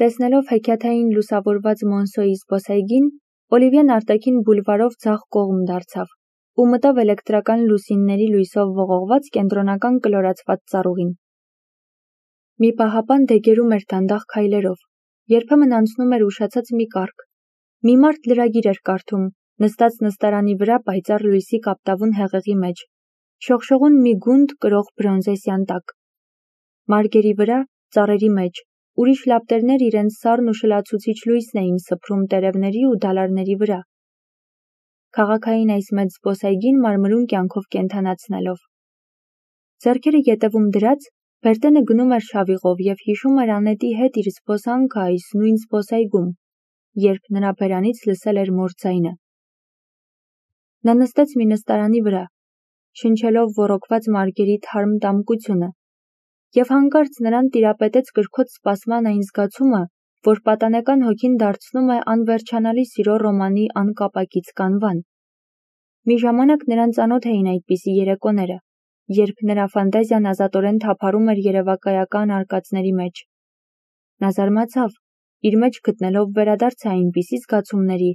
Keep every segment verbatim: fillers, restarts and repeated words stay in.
Տեսնելով հեքիաթային լուսավորված Մոնսոյի զբոսայգին, Օլիվիեն արտաքին բուլվարով ձախ կողմ դարձավ ու մտավ էլեկտրական լուսինների լույսով ողողված կենտրոնական կլորացված ծառուղին։ Մի պահապան դեգերում էր դանդաղ քայլերով, երբեմն անցնում էր ուշացած մի կառք։ Մի մարդ լրագիր էր կարդում, նստած նստարանի վրա պայծառ լույսի կապտավուն հեղեղի մեջ, շողշողուն մի գունդ կրող բրոնզե սյանտակ։ Մարգերի վրա, ծառերի մեջ, ուրիշ լապտերներ իրենց սառն ու շլացուցիչ լույսն էին սփռում տերևների ու դալարների վրա, քաղաքային այս մեծ զբոսայգին մարմրուն կյանքով կենդանացնելով։ Ձեռքերը ետևում դրած, Բերտենը գնում էր շավիղով և հիշում էր Անետի հետ իր զբոսանքը այս նույն զբոսայգում, երբ նրա բերանից լսել էր մոր ձայնը։ Նա նստեց մի նստարանի վրա, շնչելով ոռոգված մարգերի թարմ դամկությունը, և հանկարծ նրան տիրապետեց կրքոտ սպասման այն զգացումը, որ պատանեկան հոգին դարձնում է անվերջանալի սիրո ռոմանի անկապակից կանվան։ Մի ժամանակ նրան ծանոթ էին այդպիսի երեկոները, երբ նրա ֆանտազիան ազատորեն թափառում էր երևակայական արկածների մեջ։ Նա զարմացավ, իր մեջ գտնելով վերադարձը այնպիսի զգացումների,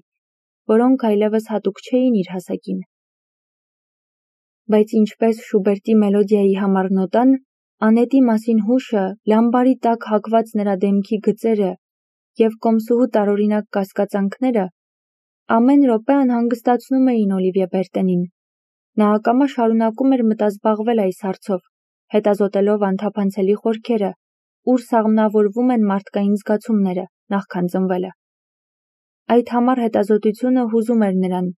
որոնք այլևս հատուկ չէին իր հասակին։ Բայց ինչպես Շուբերտի մելոդիայի համար նոտան, Անետի մասին հուշը, լամբարի տակ հագված նրա դեմքի գծերը և կոմսուհու տարօրինակ կասկածանքները ամեն րոպե անհանգստացնում էին Օլիվիե Բերտենին։ Նա ակամա շարունակում էր մտազբաղվել այս հարցով, հետազոտելով անթափանցելի խորքերը, ուր սաղմնավորվում են մարդկային զգացումները, նախքան ծնվելը։ Այդ համառ հետազոտությունը հուզում էր նրան,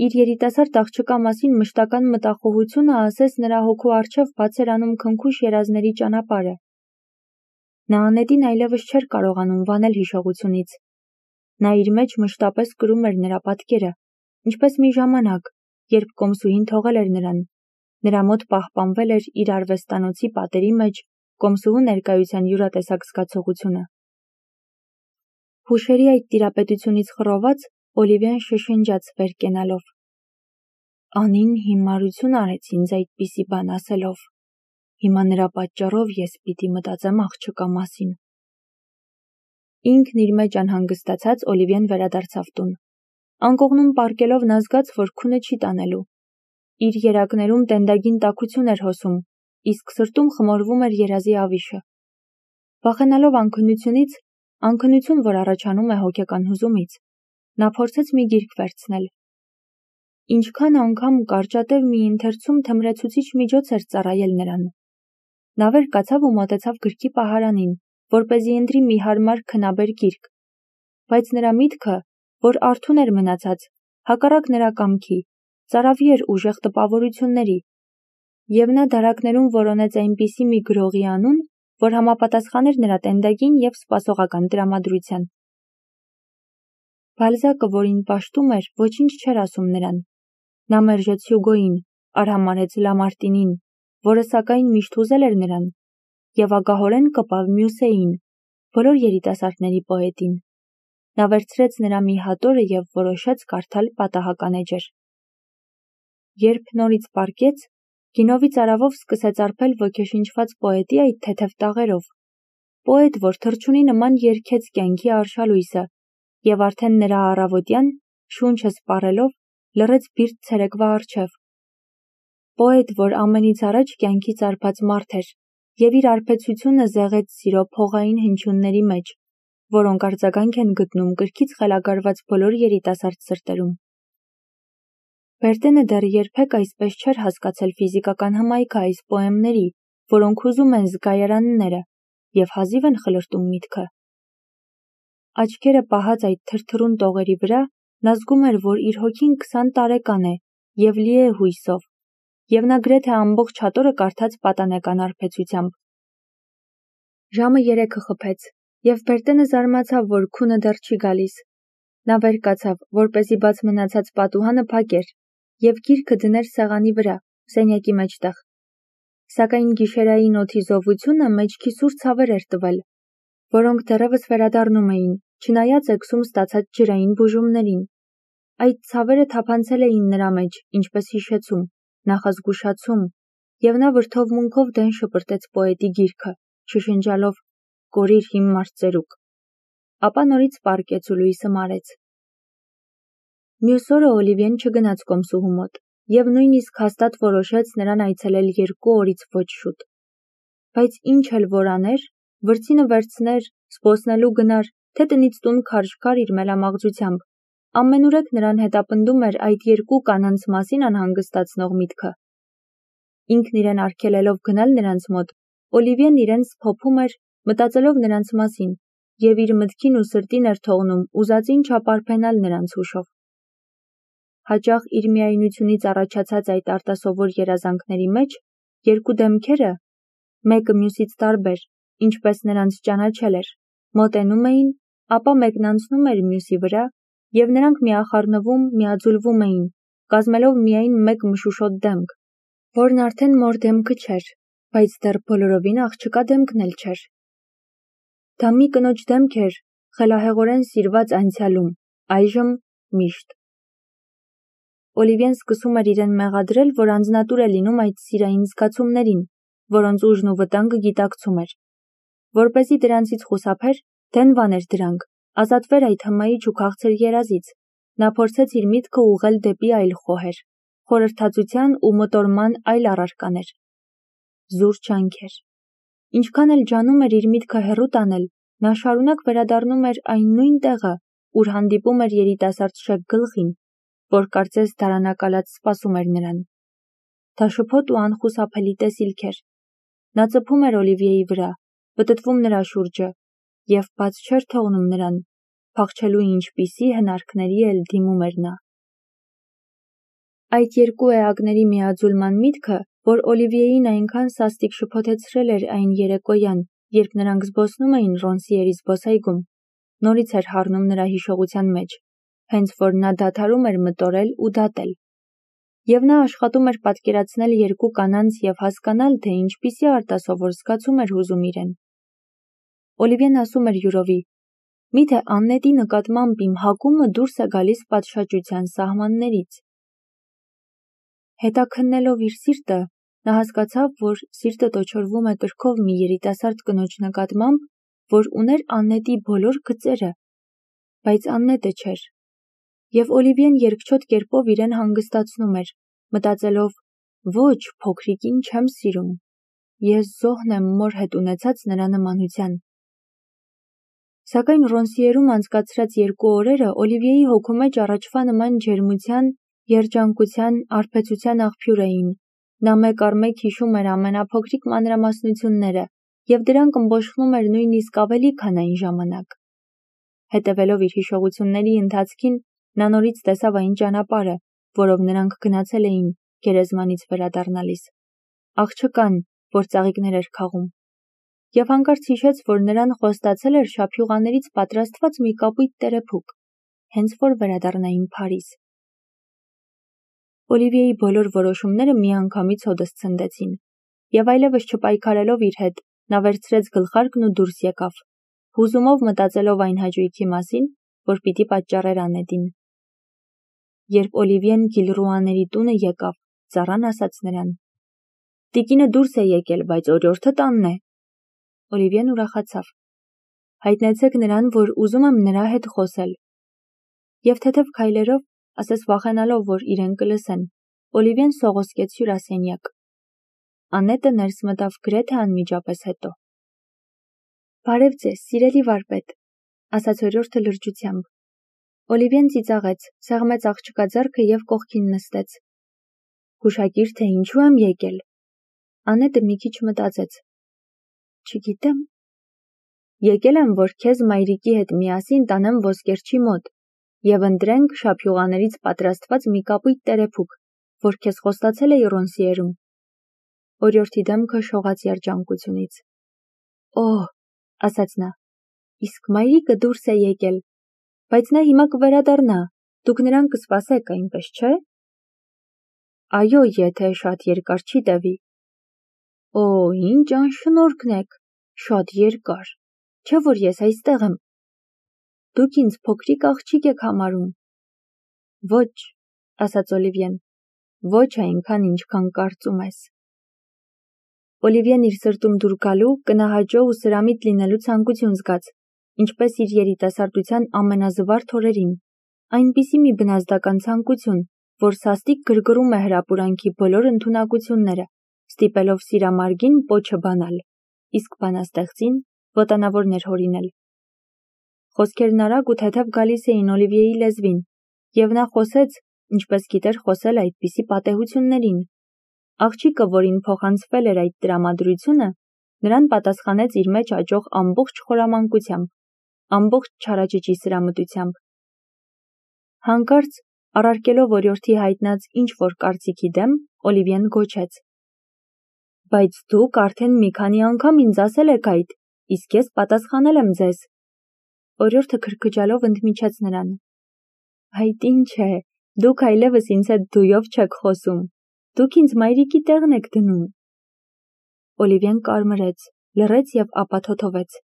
իր երիտասարդ աղջկա մասին մշտական մտախոհությունը ասես նրա հոգու առջև բաց էր անում քնքուշ երազների ճանապարհը։ Նա Անետին այլևս չէր կարողանում վանել հիշողությունից։ Նա իր մեջ մշտապես կրում էր նրա պատկերը, ինչպես մի ժամանակ, երբ կոմսուհին թողել էր նրան, նրա մոտ պահպանվել էր իր արվեստանոցի պատերի մեջ կոմսուհու ներկայության յուրատեսակ զգացողությունը։ Հուշերի այդ տիրապետությունից խռոված, Օլիվիան շշնջաց վեր կենալով. «Անին հիմարություն արեց ինձ այդպիսի բան ասելով, հիմա նրա պատճառով ես պիտի մտածեմ աղջկա մասին»։ Ինքն իր մեջ անհանգստացած Օլիվիեն վերադարձավ տուն։ Անկողնում պառկելով նա զգաց, որ քունը չի տանելու։ Իր երակներում տենդագին տաքություն էր հոսում, իսկ սրտում խմորվում էր երազի ավիշը։ Վախենալով անքնությունից, անքնություն, որ առաջանում է հոգեկան հուզումից, նա փորձեց մի գիրք վերցնել։ Ինչքան անգամ կարճատև մի ընթերցում թմրեցուցիչ միջոց էր ծառայել նրան։ Նա վեր կացավ ու մոտեցավ գրքի պահարանին, որպեսզի ընտրի մի հարմար քնաբեր գիրք։ Բայց նրա միտքը, որ արթուն էր մնացած, հակառակ նրա կամքի, ծարավի էր ուժեղ տպավորությունների, և նա դարակներում որոնեց այնպիսի մի գրողի անուն, որ համապատասխաներ նրա տենդագին և սպասողական տրամադրության։ Բալզակը, որին պաշտում էր, ոչինչ չէր ասում նրան։ Նա մերժեց Հյուգոյին, արհամարհեց Լամարտինին, որը սակայն միշտ հուզել էր նրան, և ագահորեն կպավ Մյուսեին, բոլոր երիտասարդների պոետին։ Նա վերցրեց նրա մի հատորը և որոշեց կարդալ պատահական էջեր։ Երբ նորից պառկեց, գինովի ծարավով սկսեց արբել ոգեշնչված պոետի այդ թեթև տաղերով, պոետ, որ թռչունի նման երգեց կյանքի արշալույսը և արդեն նրա առավոտյան, շունչը սպառելով, լռեց բիրտ ցերեկվա առջև, պոետ, որ ամենից առաջ կյանքից արբած մարդ էր և իր արբեցությունը զեղեց սիրո փողային հնչյունների մեջ, որոնք արձագանք են գտնում կրքից խելագարված բոլոր երիտասարդ սրտերում։ Բերտենը դեռ երբեք այսպես չէր հասկացել ֆիզիկական հմայքը այս պոեմների, որոնք հուզում են զգայարանները և հազիվ են խլրտում միտքը։ Աչքերը պահած այդ թրթռուն տողերի վրա, նա զգում էր, որ իր հոգին քսան տարեկան է և լի է հույսով, և նա գրեթե ամբողջ հատորը կարդաց պատանեկան արբեցությամբ։ Ժամը երեքը խփեց, և Բերտենը զարմացավ, որ քունը դեռ չի գալիս։ Նա վեր կացավ, որպեսզի բաց մնացած պատուհանը փակեր և գիրքը դներ սեղանի վրա, սենյակի մեջտեղ։ Սակայն գիշերային օդի զովությունը մեջքի սուր ցավեր էր տվել, որոնք դեռևս վերադառնում էին, չնայած էգսում ստացած ջրային բուժումներին։ Այդ ցավերը թափանցել էին նրա մեջ, ինչպես հիշեցում, նախազգուշացում, և նա վրդովմունքով դեն շպրտեց պոետի գիրքը, շշնջալով. «Կորիր հիմար ծերուկ»։ ապա նորից պառկեց ու լույսը մարեց։ Մյուս օրը Օլիվիեն չգնաց կոմսուհու մոտ և նույնիսկ հաստատ որոշեց նրան այցելել երկու օրից ոչ շուտ։ Բայց ինչ էլ որ աներ, վրձինը վերցներ, զբոսնելու գնար, թե տնից տուն քարշ գար իր մելամաղձությամբ, ամենուրեք նրան հետապնդում էր այդ երկու կանանց մասին անհանգստացնող միտքը։ Ինքն իրեն արգելելով գնալ նրանց մոտ, Օլիվիեն իրեն սփոփում էր, մտածելով նրանց մասին, և իր մտքին ու սրտին էր թողնում ուզածին չապարփենալ նրանց հուշով։ Հաճախ իր միայնությունից առաջացած այդ արտասովոր երազանքների մեջ երկու դեմքերը, մեկը մյուսից տարբեր, ինչպես նրանց ճանաչել էր, մոտենում էին, ապա մեկն անցնում էր մյուսի վրա, և նրանք միախառնվում, միաձուլվում էին, կազմելով միայն մեկ մշուշոտ դեմք, որն արդեն մոր դեմքը չէր, բայց դեռ բոլորովին աղջկա դեմքն էլ չէր։ Դա մի կնոջ դեմք էր, խելահեղորեն սիրված անցյալում, այժմ միշտ։ Օլիվիեն սկսում էր իրեն մեղադրել, որ անձնատուր է լինում այդ սիրային զգացումներին, որոնց ուժն ու վտանգը գիտակցում էր։ Որպեսզի դրանցից խուսափեր, դենվաներ դրանք, ազատվեր այդ հմայիչ ու քաղցր երազից, նա փորձեց իր միտքը ուղղել դեպի այլ խոհեր, խորհրդածության ու մտորման այլ առարկաներ։ Զուր ջանքեր։ Ինչքան էլ ջանում էր իր միտքը հեռու տանել, նա շարունակ վերադառնում էր այն նույն տեղը, ուր հանդիպում էր երիտասարդ շեկ գլխին, որ կարծես դարանակալած սպասում էր նրան։ Դա շփոթ ու անխուսափելի տեսիլք էր։ Նա ծփում էր Օլիվիեի վրա, պտտվում նրա շուրջը, և բաց չէր թողնում նրան, փախչելու ինչպիսի հնարքների էլ դիմում էր նա։ Այդ երկու էակների միաձուլման միտքը, որ Օլիվիեին այնքան սաստիկ շփոթեցրել էր այն երեկոյան, երբ նրանք զբոսնում էին Ռոնսիերի զբոսայգում, նորից էր հառնում նրա հիշողության մեջ, հենց որ նա դադարում էր մտորել ու դատել։ Եվ նա աշխատում էր պատկերացնել երկու կանանց և հասկանալ, թե ինչպիսի արտասովոր զգացում էր հուզում իրեն։ Օլիվիեն ասում էր յուրովի. «Միթե Աննետի նկատմամբ իմ հակումը դուրս է գալիս պատշաճության սահմաններից»։ Հետաքննելով իր սիրտը, նա հասկացավ, որ սիրտը տոչորվում է կրքով մի երիտասարդ կնոջ նկատմամբ, որ ուներ Աննետի բոլոր գծերը, բայց Աննետը չէր։ Եվ Օլիվիեն երկչոտ կերպով իրեն հանգստացնում էր, մտածելով. «Ոչ, փոքրիկին չեմ սիրում, ես զոհն եմ մոր հետ ունեցած նրա նմանության»։ Սակայն Ռոնսիերում անցկացրած երկու օրերը Օլիվիեի հոգու մեջ առաջվա նման ջերմության, երջանկության, արբեցության աղբյուր էին։ Նա մեկ առ մեկ հիշում էր ամենափոքրիկ մանրամասնությունները, և դրանք ըմբոշխնում էր նույնիսկ ավելի, քան այն ժամանակ։ Հետևելով իր հիշողությունների ընթացքին, նա նորից տեսավ այն ճանապարհը, որով նրանք գնացել էին գերեզմանից վերադառնալիս, աղջկան, որ ծաղիկներ էր քաղում, և հանկարծ հիշեց, որ նրան խոստացել էր շափյուղաներից պատրաստված մի կապույտ տերեփուկ, հենց որ վերադառնային Փարիզ։ Օլիվիեի բոլոր որոշումները միանգամից հօդս ցնդեցին, և այլևս չպայքարելով իր հետ, նա վերցրեց գլխարկն ու դուրս եկավ, հուզումով մտածելով այն հաճույքի մասին, որ պիտի պատճառեր Աննետին։ Երբ Օլիվիեն Գիլռուաների տունը եկավ, ծառան ասաց նրան. «Տիկինը դուրս է եկել, բայց օրիորդը տանն է»։ Օլիվիեն ուրախացավ. «Հայտնեցեք նրան, որ ուզում եմ նրա հետ խոսել»։ Եվ թեթև քայլերով, ասես վախենալով, որ իրեն կլսեն, Օլիվիեն սողոսկեց հյուրասենյակ։ Աննետը ներս մտավ գրեթե անմիջապես հետո։ «Բարև ձեզ, սիրելի վարպետ», ասաց օրիորդը լրջությամբ։ Օլիվիեն ծիծաղեց, սեղմեց աղջկա ձեռքը և կողքին նստեց։ «Հուշագիր, թե ինչու եմ եկել»։ Աննետը մի քիչ մտածեց։ «Չգիտեմ»։ «Եկել եմ, որ քեզ մայրիկի հետ միասին տանեմ ոսկերչի մոտ և ընտրենք շափյուղաներից պատրաստված մի կապույտ տերեփուկ, որ քեզ խոստացել էի Ռոնսիերում»։ Օրիորդի դեմքը շողաց երջանկությունից։ «Օհ», ասաց նա, «իսկ մայրիկը դուրս է եկել, բայց նա հիմա կվերադառնա, դուք նրան կսպասեք, այնպես չէ»։ «Այո, եթե շատ երկար չի տևի»։ «Օ, ինչ անշնորհքն եք, շատ երկար, չէ՞ որ ես այստեղ եմ։ Դուք ինձ փոքրիկ աղջիկ եք համարում»։ «Ոչ», ասաց Օլիվիեն, «ոչ այնքան, ինչքան կարծում ես»։ Օլիվիեն իր սրտում դուր գալու, կնահաճո ու սրամիտ լինելու ցանկություն զգաց, ինչպես իր երիտասարդության ամենազվարթ օրերին, այնպիսի մի բնազդական ցանկություն, որ սաստիկ գրգռում է հրապուրանքի բոլոր ընդունակությունները, ստիպելով սիրամարգին պոչը բանալ, իսկ բանաստեղծին ոտանավոր ներհորինել։ Խոսքերն արագ ու թեթև գալիս էին Օլիվիեի լեզվին, և նա խոսեց, ինչպես գիտեր խոսել այդպիսի պատեհություններին։ Աղջիկը, որին փոխանցվել էր այդ տրամադրությունը, նրան պատասխանեց իր մեջ աճող ամբողջ խորամանկությամբ, ամբողջ չարաճճի սրամտությամբ։ Հանկարծ, առարկելով օրիորդի հայտնած ինչ-որ կարծիքի դեմ, Օլիվիեն գոչեց. «Բայց դուք արդեն մի քանի անգամ ինձ ասել եք այդ, իսկ ես պատասխանել եմ ձեզ»։ Օրիորդը քրքջալով ընդմիջեց նրան. «Այդ ինչ է, դուք այլևս ինձ հետ դույով չեք խոսում, դուք ինձ մայրիկի տեղն եք դնում»։ Օլիվիեն կարմրեց, լռեց և ապա թոթովեց.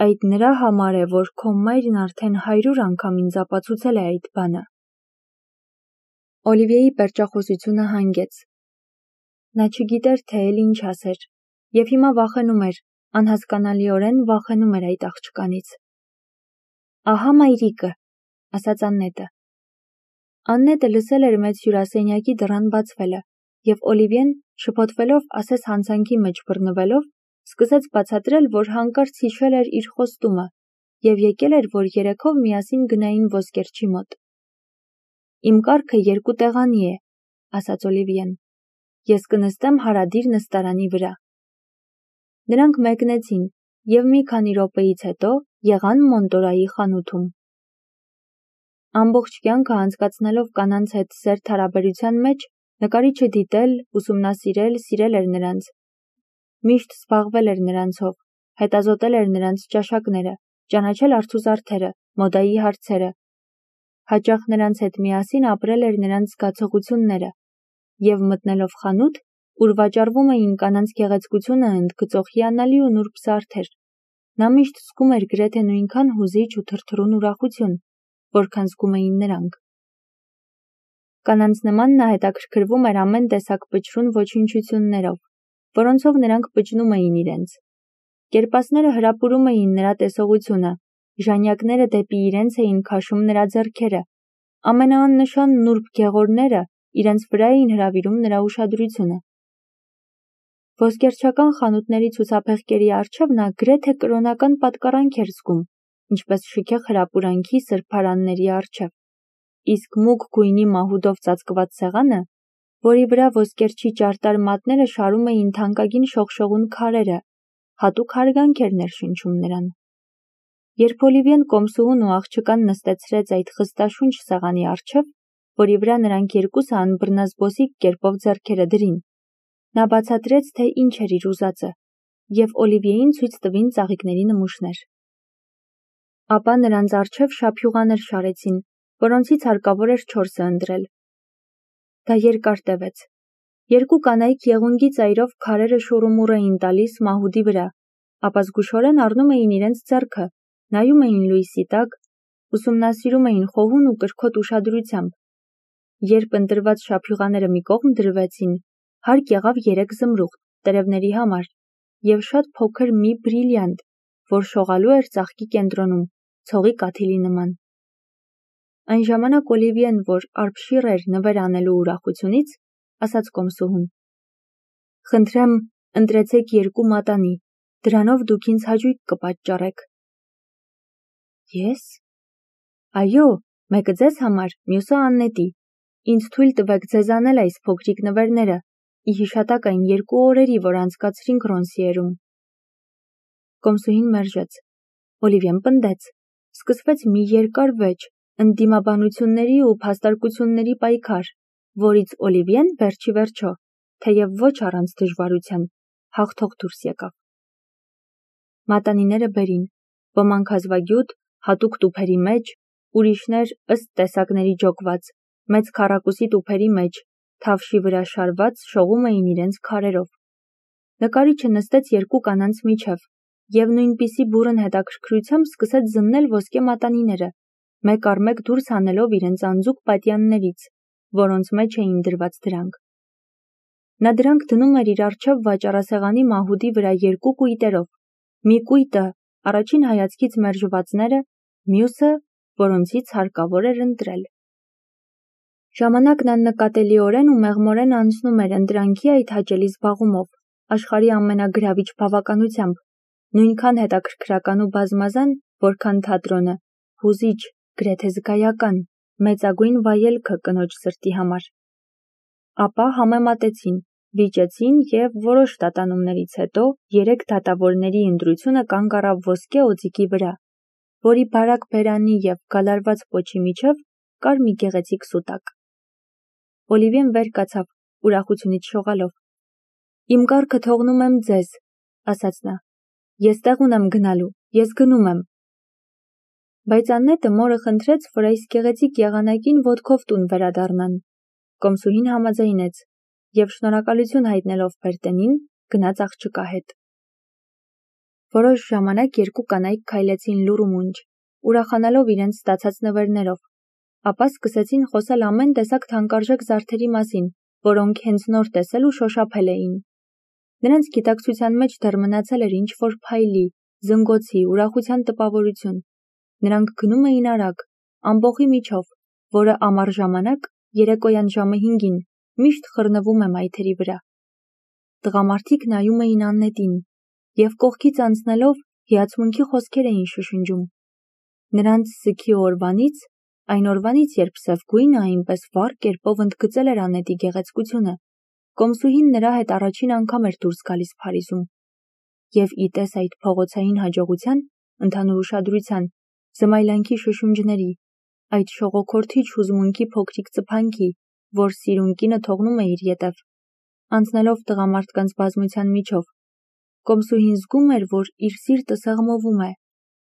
«Այդ նրա համար է, որ քո մայրն արդեն հարյուր անգամ ինձ ապացուցել է այդ բանը»։ Օլիվիեի պերճախոսությունը հանգեց։ Նա չգիտեր, թե էլ ինչ ասեր, և հիմա վախենում էր, անհասկանալիորեն վախենում էր այդ աղջկանից։ «Ահա մայրիկը», ասաց Աննետը։ Աննետը լսել էր մեծ հյուրասենյակի դռան բացվելը, և Օլիվիեն, շփոթվելով ասես հանցանքի մեջ բռնվելով, սկսեց բացատրել, որ հանկարծ հիշել էր իր խոստումը և եկել էր, որ երեքով միասին գնային ոսկերչի մոտ։ «Իմ կարգը երկու տեղանի է», ասաց Օլիվիեն։ «Ես կնստեմ հարադիր նստարանի վրա»։ Նրանք մեկնեցին և մի քանի րոպեից հետո եղան Մոնտորայի խանութում։ Ամբողջ կյանքը անցկացնելով կանանց հետ սերտ հարաբերության մեջ, նկարիչը դիտել, ուսումնասիրել, սիրել էր նրանց։ Միշտ զբաղվել էր նրանցով, հետազոտել էր նրանց ճաշակները, ճանաչել արցուզարդերը, մոդայի հարցերը։ Հաճախ նրանց հետ միասին ապրել էր նրանց զգացողությունները, և մտնելով խանութ, ուր վաճառվում էին կանանց գեղեցկությունը ընդգծող հիանալի ու նուրբ զարդեր, նա միշտ զգում էր գրեթե նույնքան հուզիչ ու թրթռուն ուրախություն, որքան զգում էին նրանք։ Կանանց նման նա հետաքրքրվում էր ամեն տեսակ պչրուն ոչնչություններով, որոնցով նրանք պճնում էին իրենց։ Կերպասները հրապուրում էին նրա տեսողությունը, ժանյակները դեպի իրենց էին քաշում նրա ձեռքերը, ամենաաննշան նուրբ գեղորները իրենց վրա էին հրավիրում նրա ուշադրությունը։ Ոսկերչական խանութների ցուցափեղկերի առջև նա գրեթե կրոնական պատկառանք էր զգում, ինչպես շքեղ հրապուրանքի սրբարանների առջև, իսկ մուգ գույնի մահուդով ծածկված սեղանը, որի վրա ոսկերչի ճարտար մատները շարում էին թանկագին շողշողուն քարերը, հատուկ հարգանք էր ներշնչում նրան։ Երբ Օլիվիեն կոմսուհուն ու աղջկան նստեցրեց այդ խստաշունչ սեղանի առջև, որի վրա նրանք երկուսը անբռնազբոսիկ կերպով ձեռքերը դրին, նա բացատրեց, թե ինչ էր իր ուզածը, և Օլիվիեին ցույց տվին ծաղիկների նմուշներ։ Ապա նրանց առջև շափյուղաներ շարեցին, որոնցից հարկավոր էր չորսը ընտրել։ Դա երկար տևեց։ Երկու կանայք եղունգի ծայրով քարերը շուռումուռ էին տալիս մահուդի վրա, ապա զգուշորեն առնում էին իրենց ձեռքը, նայում էին լույսի տակ, ուսումնասիրում էին խոհուն ու կրքոտ ուշադրությամբ։ Երբ ընտրված շափյուղաները մի կողմ դրվեցին, հարկ եղավ երեք զմրուխտ տերևների համար և շատ փոքր մի բրիլյանտ, որ շողալու էր ծաղկի կենտրոնում, ցողի կաթիլի նման։ Այն ժամանակ Օլիվիեն, որ արբշիռ էր նվեր անելու ուրախությունից, ասաց կոմսուհուն. «Խնդրեմ, ընտրեցեք երկու մատանի, դրանով դուք ինձ հաճույք կպատճառեք»։ Ես։ Այո, մեկը ձեզ համար, մյուսը Աննետի։ Ինձ թույլ տվեք ձեզ անել այս փոքրիկ նվերները, ի հիշատակ այն երկու օրերի, որ անցկացրինք Ռոնսիերում։ Կոմսուհին մերժեց։ Օլիվիեն պնդեց։ Սկսվեց մի երկար վեճ, ընդդիմաբանությունների ու փաստարկությունների պայքար, որից Օլիվիեն վերջի վերջո, թեև ոչ առանց դժվարության, հաղթող դուրս եկավ։ Մատանիները բերին, ոմանք հազվագյուտ, հատուկ տուփերի մեջ, ուրիշներ ըստ տեսակների ջոկված, մեծ քառակուսի տուփերի մեջ, թավշի վրա շարված շողում էին իրենց քարերով։ Նկարիչը նստեց երկու կանանց միջև և նույնպիսի բուռն հետաքրքրությամբ սկսեց զննել ոսկե մատանիները, մեկ առ մեկ դուրս հանելով իրենց անձուկ պատյաններից, որոնց մեջ էին դրված դրանք։ Նա դրանք դնում էր իր առջև վաճառասեղանի մահուդի վրա երկու կույտերով, մի կույտը, առաջին հայացքից մերժվածները, մյուսը, որոնցից հարկավոր էր ընտրել։ Ժամանակն աննկատելիորեն ու մեղմորեն անցնում էր ընտրանքի այդ հաճելի զբաղումով, աշխարհի ամենագրավիչ բավականությամբ, նույնքան հետաքրքրական ու բազմազան, որքան թատրոնը, հուզիչ, գրեթե զգայական, մեծագույն վայելքը կնոջ սրտի համար։ Ապա համեմատեցին, վիճեցին և որոշ տատանումներից հետո երեք դատավորների ընտրությունը կանգ առավ ոսկե օձիքի վրա, որի բարակ բերանի և գալարված պոչի միջև կար մի գեղեցիկ սուտակ։ Օլիվիեն վեր կացավ, ուրախությունից շողալով։ «Իմ կառքը թողնում եմ ձեզ», ասաց նա։ «Ես տեղ ունեմ գնալու, ես գնում եմ»։ Բայց Աննետը մորը խնդրեց, որ այս գեղեցիկ եղանակին ոտքով տուն վերադառնան։ Կոմսուհին համաձայնեց և շնորհակալություն հայտնելով Բերտենին, գնաց աղջկա հետ։ Որոշ ժամանակ երկու կանայք քայլեցին լուռ ու մունջ, ուրախանալով իրենց ստացած նվերներով, ապա սկսեցին խոսել ամեն տեսակ թանկարժեք զարդերի մասին, որոնք հենց նոր տեսել ու շոշափել էին։ Նրանց գիտակցության մեջ դեռ մնացել էր ինչ-որ փայլի, զնգոցի, ուրախության տպավորություն։ Նրանք գնում էին արագ, ամբոխի միջով, որը ամառ ժամանակ, երեկոյան ժամը հինգին, միշտ խռնվում է մայթերի վրա։ Տղամարդիկ նայում էին Աննետին և կողքից անցնելով հիացմունքի խոսքեր էին շշնջում։ Նրանց սգի օրվանից, այն օրվանից, երբ սև գույնը այնպես վառ կերպով ընդգծել էր Աննետի գեղեցկությունը, կոմսուհին նրա հետ առաջին անգամ էր դուրս գալիս Փարիզում։ Եվ ի տես այդ փողոցային հաջողության, ընդհանուր ուշադրության, զմայլանքի շշունջների, այդ շողոքորթիչ հուզմունքի փոքրիկ ծփանքի, որ սիրուն կինը թողնում է իր ետև, անցնելով տղամարդկանց բազմության միջով, կոմսուհին զգում էր, որ իր սիրտը սեղմովում է,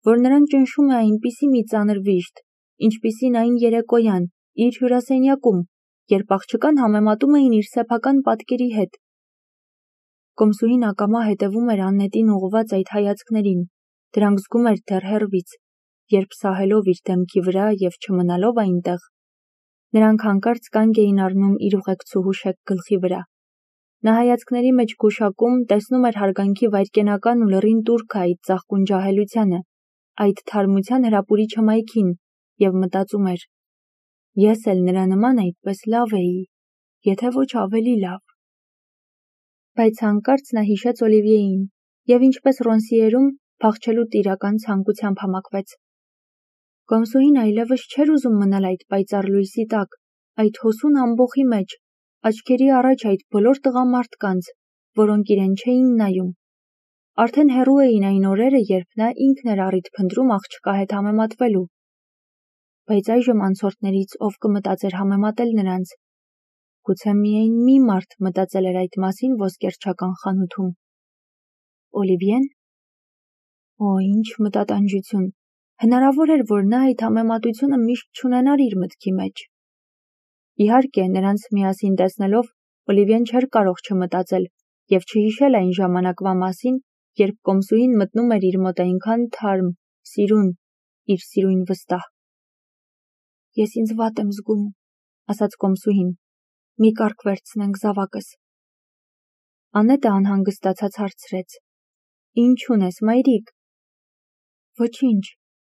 որ նրան ճնշում է այնպիսի մի ծանր վիշտ, ինչպիսին այն երեկոյան, իր հյուրասենյակում, երբ աղջկան համեմատում էին իր սեփական պատկերի հետ։ Կոմսուհին ակամա հետևում էր Աննետին ուղղված այդ հայացքներին, դրանք զգում էր դեռ հեռվից, երբ սահելով իր դեմքի վրա և չմնալով այնտեղ, նրանք հանկարծ կանգ էին առնում իր ուղեկցուհու շեկ գլխի վրա։ Նա հայացքների մեջ գուշակում, տեսնում էր հարգանքի վայրկենական ու լռին տուրքը այդ ծաղկուն ջահելությանը, այդ թարմության հրապուրիչ հմայքին, և մտածում էր. «Ես էլ նրա նման այդպես լավ էի, եթե ոչ ավելի լավ»։ Բայց հանկարծ նա հիշեց Օլիվիեին և ինչպես Ռոնսիերում փախչելու տիրական ցանկությամբ համակվեց։ Կոմսուհին այլևս չէր ուզում մնալ այդ պայծառ լույսի տակ, այդ հոսուն ամբոխի մեջ, աչքերի առաջ այդ բոլոր տղամարդկանց, որոնք իրեն չէին նայում։ Արդեն հեռու էին այն օրերը, երբ նա ինքն էր առիթ փնտրում աղջկա հետ համեմատվելու։ Բայց այժմ անցորդներից ով կմտածեր համեմատել նրանց։ Գուցե միայն մի մարդ մտածել էր այդ մասին ոսկերչական խանութում։ Օլիվիեն։ Օ, ինչ մտատանջություն։ Հնարավոր էր, որ նա այդ համեմատությունը միշտ չունենար իր մտքի մեջ։ Իհարկե, նրանց միասին տեսնելով, Օլիվիեն չէր կարող չմտածել և չհիշել այն ժամանակվա մասին, երբ կոմսուհին մտնում էր իր մոտ այնքան թարմ, սիրուն, իր սիրուն վստահ։ Ես ինձ վատ եմ զգում, ասաց կոմսուհին, մի կառք վերցնենք զավակս։ Աննետը անհանգստացած հարցրեց. Ինչ ունես, մայրիկ։ Ոչինչ,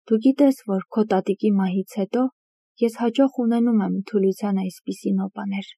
դու գիտես, որ քո տատիկի մահից հետո ես հաճախ ունենում եմ թուլության այսպիսի նոպաներ։